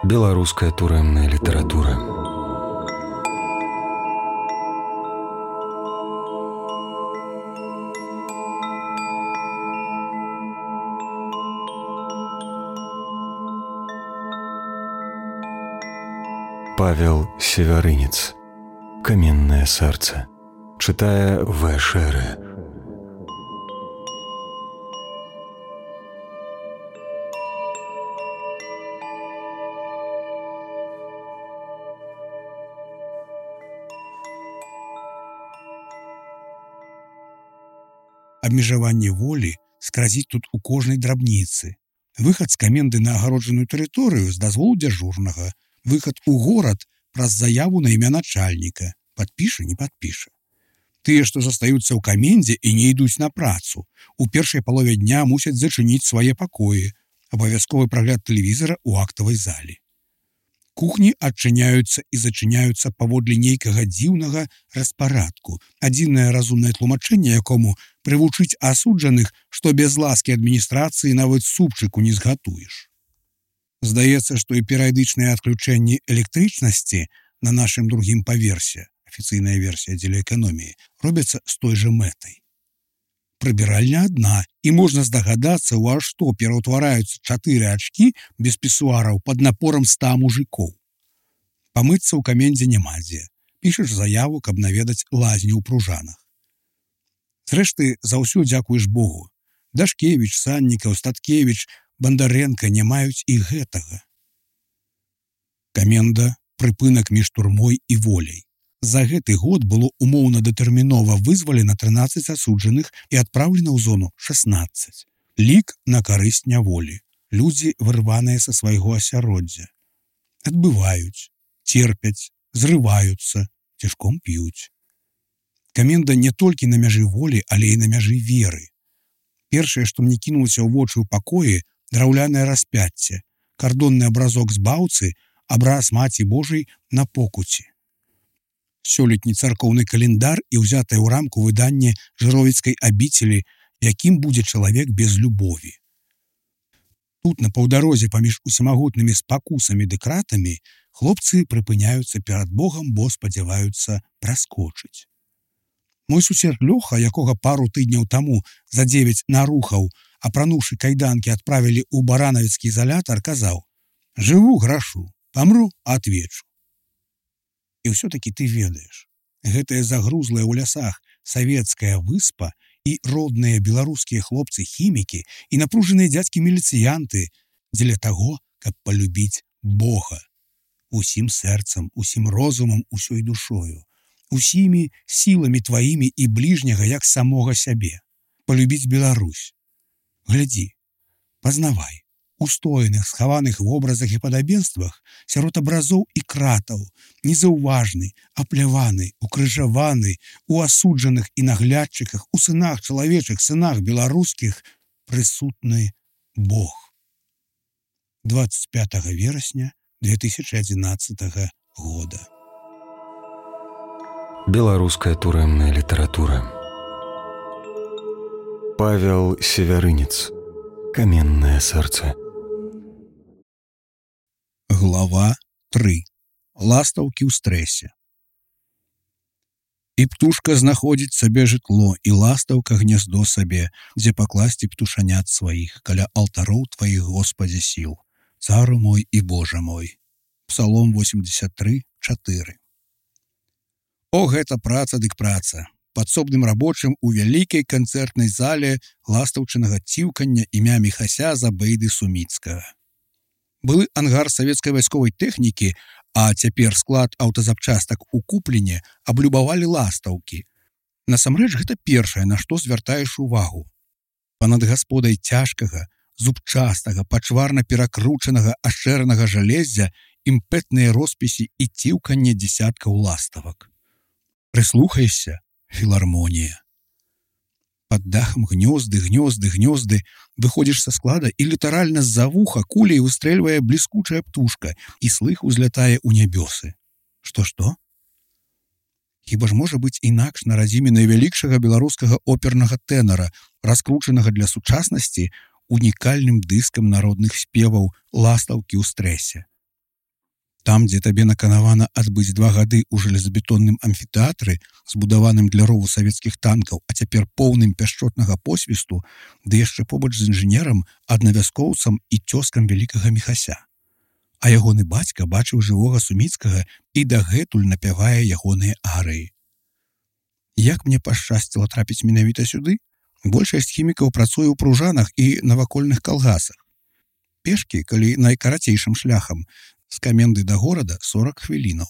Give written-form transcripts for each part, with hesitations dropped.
Беларуская турэмная літаратура. Павел Севярынец. Каменное сердце. Читая В. Шеры. Абмежаванне волі скразіць тут у кожнай драбніцы. Выхад з каменды на агароджаную тэрыторыю з дазволу дзяжурнага, выхад у горад праз заяву на імя начальніка, падпіша, не падпіша. Тыя, што застаюцца ў камендзе і не ідуць на працу, у першай палове дня мусяць зачыніць свае пакоі, абавязковы прагляд тэлевізара ў актавай зале. Кухні адчыняюцца і зачыняюцца паводле нейкага дзіўнага распарадку, адзінае разумнае тлумачэнне якому прывучыць асуджаных, што без ласкі адміністрацыі нават супчыку не згатуеш. Здаецца, што і перыядычныя адключэнні электрычнасці на нашым другім паверсе, афіцыйная версія дзеля эканоміі, робяцца з той жа мэтай. Прыбіральня адна, і можна здагадацца, у што пераўтвараюцца 4 ачкі без пісуараў пад напорам 100 мужикоў. Памыцца ў камендзе няма дзе. Пішаш заяву, каб наведаць лазню ў Пружанах. Зрэшты, за ўсё дзякуеш Богу. Дашкевіч, Саннікаў, Статкевіч, Бандарэнка не маюць і гэтага. Каменда – прыпынак між турмой і воляй. За гэты год было умоўна датэрмінова вызвалена 13 асуджаных і адпраўлена ў зону 16. Лік на карысць няволі. Людзі вырваныя са свайго асяроддзя. Адбываюць, терпяць, зрываюцца, цішком п'юць. Каменда не толькі на мяжы волі, але і на мяжы веры. Першае, што мне кінулася ў вочы ў пакоі, драўлянае распяцце, кардонны абразок з баўцы, абраз Маці Божай на покуці. Сёлетні царкоўны календар і ўзятае ў рамку выданне жыровіцкай абіцелі, якім будзе чалавек без любові. Тут, на паўдарозе паміж усімагутнымі спакусамі ды кратамі, хлопцы прыпыняюцца перад Богам, бо спадзяваюцца праскочыць. Мой сусед Лёха, якога пару тыдняў таму за 9 нарухаў, апрануўшы кайданкі, адправілі ў баранавіцкі изалятар, казаў: «Жыву, грашу, памру, отвечу». І ўсё-такі ты ведаеш, гэтая загрузлая ў лясах савецкая выспа і родныя беларускія хлопцы-хімікі і напружаныя дзядзькі-міліцыянты дзеля таго, каб палюбіць Бога. Усім сэрцам, усім розумам, усёй душою, усімі сіламі тваімі і бліжняга, як самога сябе. Палюбіць Беларусь. Глядзі, пазнавай. Устояных, схаваных вобразах і падабенствах, сярод абразоў і кратаў, незаўважны, апляваны, укрыжаваны, у асуджаных і наглядчыках, у сынах чалавечых, сынах беларускіх прысутны Бог. 25 верасня 2011 года. Беларуская турэмная літаратура. Павел Севярынец. Каменное сердце. Глава 3. Ластаўкі ў стрэсе. І птушка знаходзіць сабе жытло, і ластаўка гняздо сабе, дзе пакласці птушанят сваіх, каля алтароў тваіх, Господзе сіл, цару мой і Божа мой. Псалом 83, 4. О, гэта праца дык праца. Падсобным рабочым у вялікай канцэртнай зале ластаўчынага ціўкання імя Міхася Забейды Суміцкага. Былы ангар савецкай вайсковай тэхнікі, а цяпер склад аўтазапчастак у Купліне аблюбавалі ластаўкі. Насамрэч, гэта першае, на што звяртаеш увагу. Панад гасподай цяжкага, зубчастага, пачварна перакручанага ашчэранага жалезя імпэтныя роспісі і ціўканне дзесяткаў ластавак. Прыслухайся, філармонія. Пад дахам гнёзды, гнёзды, гнёзды, выходзіш са склада і літаральна з-за вуха куляй выстрэльвае бліскучая птушка, і слых узлятае ў нябёсы. Што? Хіба ж можа быць інакш на радзіме найвялікшага беларускага опернага тэнара, раскручанага для сучаснасці унікальным дыскам народных спеваў «Ластаўкі ў стрэсе». Там, дзе табе наканавана адбыць 2 гады ў жалезабетонным амфітэатры, збудаваным для рову савецкіх танкаў, а цяпер поўным пяшчотнага посвісту, ды яшчэ побач з інжынерам, аднавяскоўцам і цёзкам вялікага Міхася. А ягоны бацька бачыў жывога Суміцкага і дагэтуль напявае ягоныя арыі. Як мне пашчасціла трапіць менавіта сюды? Большасць хімікаў працуе ў пружанах і навакольных калгасах. Пешкі, калі найкарацейшым шляхам, з каменды да горада 40 хвілінаў.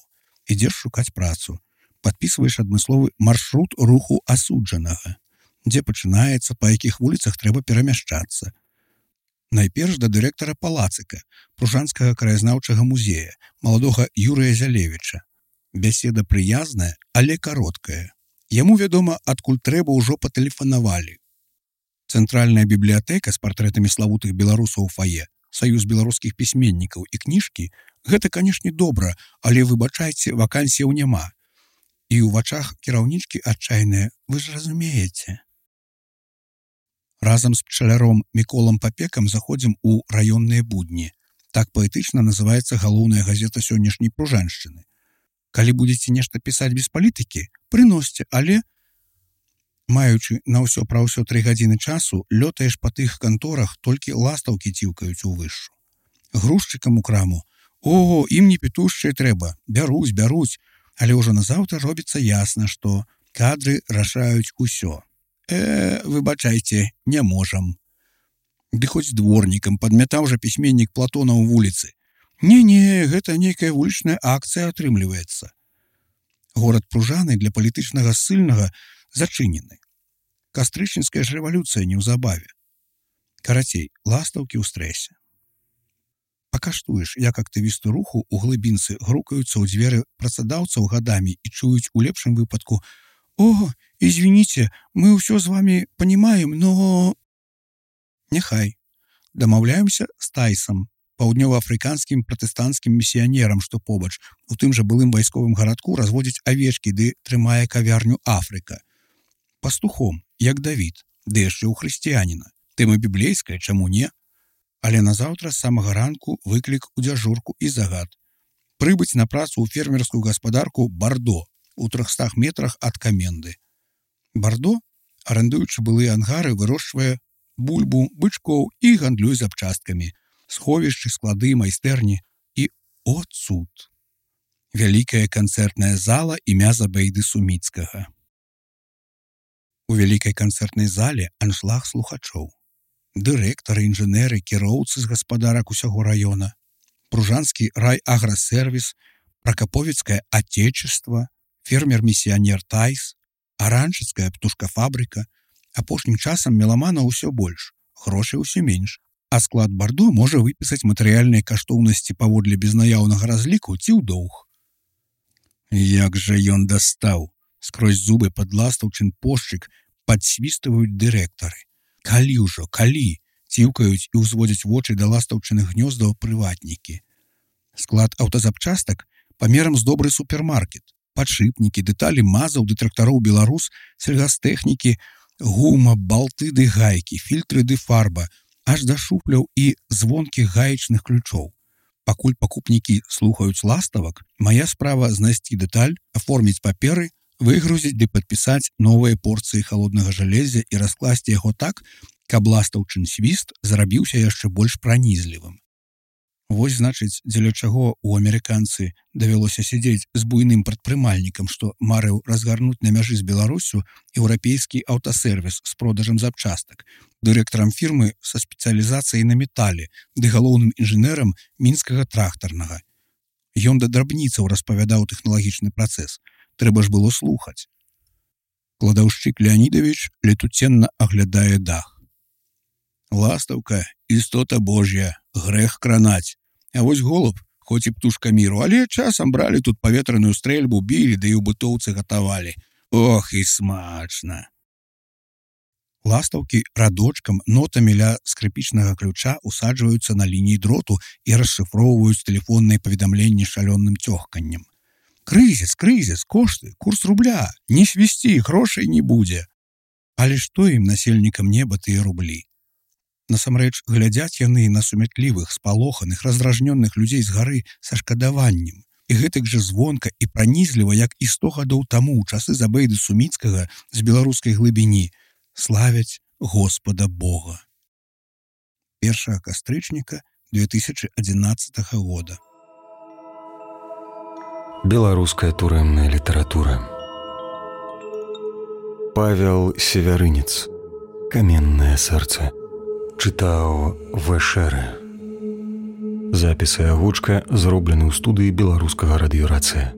Ідзеш шукаць працу. Падпісваеш адмысловы маршрут руху асуджанага, дзе пачынаецца, па якіх вуліцах трэба перамяшчацца. Найперш да дырэктара палацыка, пружанскага краязнаўчага музея, маладога Юрыя Зялевіча. Бяседа прыязная, але кароткая. Яму вядома, адкуль трэба ўжо патэлефанавалі. Цэнтральная бібліятэка з партрэтамі славутых беларусаў у фае, Саюз беларускіх пісьменнікаў і кніжкі — гэта, канешне, добра, але, выбачайце, вакансіяў няма. І ў вачах кіраўнічкі адчайныя, вы ж разумееце. Разам з пчаляром Міколам Папекам заходзім у раённыя будні. Так паэтычна называецца галоўная газета сённяшняй Пружаншчыны. Калі будзеце нешта пісаць без палітыкі, прыносьце, але... Маючы на ўсё пра ўсё 3 гадзіны часу, лётаеш па тых канторах, толькі ластаўкі ціўкаюць увышшу. Грузчыкам у краму: «О, ім не петушчыя трэба, бяруць, але ўжо назаўтра робіцца ясна, што кадры рашаюць усё. Выбачайце, не можам». Ды хоць дворнікам падмятаў жа пісьменнік Платона ў вуліцы. Не, гэта нейкая вулічная акцыя атрымліваецца. Горад Пружаны для палітычнага ссыльнага зачынены. Кастрычніцкая ж рэвалюцыя неўзабаве. Карацей, ластаўкі ў стрэсе. Пакаштуеш, як актывісты руху ў глыбінцы грукаюцца ў дзверы працадаўцаў гадамі і чуюць у лепшым выпадку: «О, извините, мы ўсё з вами понимаем, но...» Няхай. Дамаўляемся з Тайсам, паўднёваафрыканскім пратэстанцкім місіянерам, што побач, у тым жа былым вайсковым гарадку разводзіць авечкі ды трымае кавярню «Афрыка». Пастухом, як Давід, ды яшчэ ў хрысціяніна. Тэма біблейская, чаму не? Але назаўтра з самага ранку выклік у дзяжурку і загад. Прыбыць на працу ў фермерскую гаспадарку «Бардо» у 300 метрах ад каменды. «Бардо», арандуючы былыя ангары, вырошчвае бульбу, бычкоў і гандлюе запчасткамі, сховішчы, склады, майстэрні і, о цуд, вялікая канцэртная зала імя Забейды Суміцкага. У вялікай канцэртнай зале аншлаг слухачоў. Дырэктары, інжынеры, кіроўцы з гаспадарак усяго раёна, Пружанскі райаграсервіс, Пракаповецкае Отечество, фермер-місіянер Тайс, Аранчыцкая птушкафабрыка. Апошнім часам меламана ўсё больш, грошай усё менш, а склад Бардо можа выпісаць матэрыяльныя каштоўнасці паводле безнаяўнага разліку ці ў доўг. Як жа ён дастаў! Скрозь зубы падластаўчын пошчык падсвістваюць дырэктары. Калі ўжо, калі? Ціўкаюць і ўзводзяць вочы да ластаўчыных гнёздаў прыватнікі. Склад аўтазапчастак памерам з добры супермаркет. Падшыпнікі, дэталі мазаў ды трактароў «Беларус», сельгастэхнікі, гума, балты ды гайкі, фільтры ды фарба, аж да шуфляў і звонкіх гаечных ключоў. Пакуль пакупнікі слухаюць ластавак, мая справа знайсці дэталь, аформіць паперы, выгрузіць ды падпісаць новыя порцыі халоднага жалезя і раскласці яго так, каб ластаўчын свіст зрабіўся яшчэ больш пранізлівым. Вось, значыць, дзеля чаго у амерыканцы давялося сядзець з буйным прадпрымальнікам, што марыў разгарнуць на мяжы з Беларуссю еўрапейскі аўтасервіс з продажам запчастак, дырэктарам фірмы са спецыялізацыяй на метале ды галоўным інжынерам мінскага трактарнага. Ён да драбніцаў распавядаў тэхналагічны працэс. Трэба ж было слухаць. Кладаўшчык Леонідавіч летуценна аглядае дах. Ластаўка, істота Божья, грэх кранаць. А вось голуб, хоць і птушка міру, але часам бралі тут паветраную стрэльбу, білі, да і ў бытоўцы гатавалі. Ох, і смачна! Ластаўкі радочкам, нотамі ля скрыпічнага ключа усаджваюцца на лініі дроту і расшыфроўваюць тэлефонныя паведамленні шалёным цёхканнем. Крызіс, кошты, курс рубля, не свісці, грошай не будзе. Але што ім, насельнікам неба, тыя рублі? Насамрэч, глядзяць яны на сумятлівых, спалоханых, раздражнённых людзей з гары са шкадаваннем. І гэтак жа звонка і пранізліва, як і 100 гадоў таму ў часы Забейды Суміцкага з беларускай глыбіні, славяць Господа Бога. 1 кастрычніка 2011 года. Беларуская турэмная літаратура. Павел Севярынец. Каменнае сэрца. Чытаў Вэшэры. Запіс і агучка зроблены ў студыі беларускага радыёрацыя.